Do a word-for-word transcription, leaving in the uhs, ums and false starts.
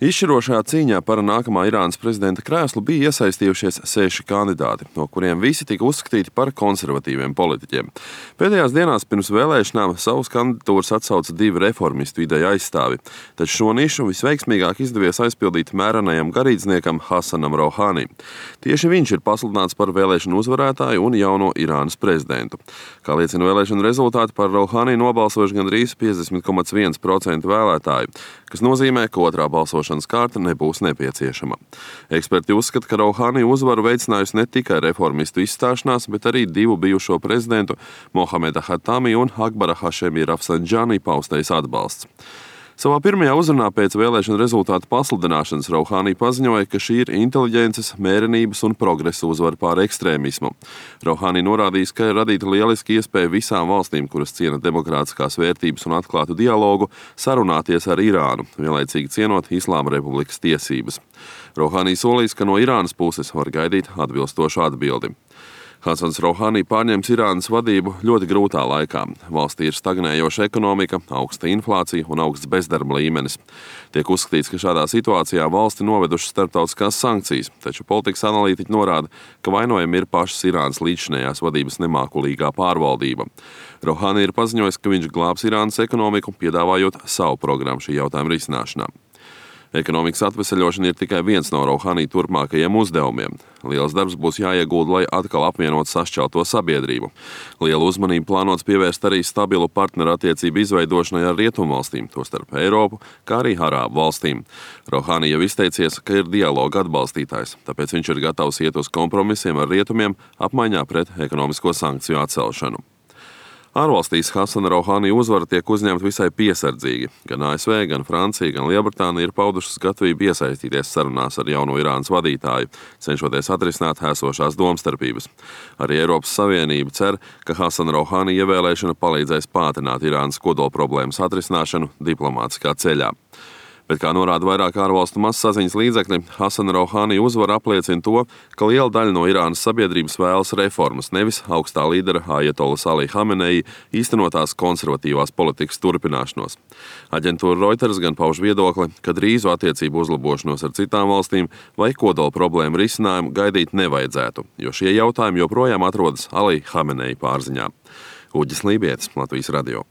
Izšķirošajā cīņā par nākamā Irānas prezidenta krēslu bija iesaistījušies seši kandidāti, no kuriem visi tika uzskatīti par konservatīviem politiķiem. Pēdējās dienās pirms vēlēšanām savus kandidatūras atsauca divi reformistu ideju aizstāvi, taču šo nišu visveiksmīgāk izdevies aizpildīt mērenajam garīdzniekam Hasanam Rouhani. Tieši viņš ir pasludināts par vēlēšanu uzvarētāju un jauno Irānas prezidentu. Kā liecina vēlēšanu rezultāti, par Rouhani nobalsojuši gandrīz piecdesmit komats viens procents vēlētāju, kas nozīmē, ka otrā balsošanas kārta nebūs nepieciešama. Eksperti uzskata, ka Rouhani uzvaru veicinājusi ne tikai reformistu izstāšanās, bet arī divu bijušo prezidentu Mohameda Hatami un Akbara Hašemi Rafsanjani paustais atbalsts. Savā pirmajā uzrunā pēc vēlēšanu rezultātu pasludināšanas Rouhani paziņoja, ka šī ir inteliģences, mērenības un progresa uzvara pār ekstrēmismu. Rouhani norādījis, ka ir radīta lieliski iespēja visām valstīm, kuras ciena demokrātiskās vērtības un atklātu dialogu, sarunāties ar Irānu, vienlaicīgi cienot Islāma Republikas tiesības. Rouhani solīs, ka no Irānas puses var gaidīt atbilstošu atbildi. Hasans Rouhani pārņems Irānas vadību ļoti grūtā laikā. Valstī ir stagnējoša ekonomika, augsta inflācija un augsts bezdarba līmenis. Tiek uzskatīts, ka šādā situācijā valsti novedušas starptautiskās sankcijas, taču politikas analītiķi norāda, ka vainojami ir pašas Irānas līdzšinējās vadības nemākulīgā pārvaldība. Rouhani ir paziņojis, ka viņš glābs Irānas ekonomiku, piedāvājot savu programmu šī jautājuma risināšanā. Ekonomikas atveseļošana ir tikai viens no Rouhani turpmākajiem uzdevumiem. Liels darbs būs jāiegulda, lai atkal apvienot sašķelto sabiedrību. Lielu uzmanību plānots pievērst arī stabilu partnerattiecību izveidošanai ar rietumvalstīm, tostarp Eiropu, kā arī Arābu valstīm. Rouhani jau izteicies, ka ir dialoga atbalstītājs, tāpēc viņš ir gatavs iet uz kompromisiem ar rietumiem apmaiņā pret ekonomisko sankciju atcelšanu. Ārvalstīs Hasana Rouhani uzvara tiek uzņemta visai piesardzīgi. Gan A S V, gan Francija, gan Lielbritānija ir paudušas gatavību iesaistīties sarunās ar jauno Irānas vadītāju, cenšoties atrisināt esošās domstarpības. Arī Eiropas Savienība cer, ka Hasana Rouhani ievēlēšana palīdzēs pātrināt Irānas kodolproblēmas atrisināšanu diplomātiskā ceļā. Bet, kā norāda vairāk ārvalstu mazsaziņas līdzekļi, Hasana Rouhani uzvara apliecina to, ka liela daļa no Irānas sabiedrības vēlas reformas, nevis augstā līdera Ajatolas Ali Hamenei īstenotās konservatīvās politikas turpināšanos. Aģentūra Reuters gan pauž viedokli, ka drīzu attiecību uzlabošanos ar citām valstīm vai kodola problēmu risinājumu gaidīt nevajadzētu, jo šie jautājumi joprojām atrodas Ali Hamenei pārziņā. Uģis Lībietis, Latvijas radio.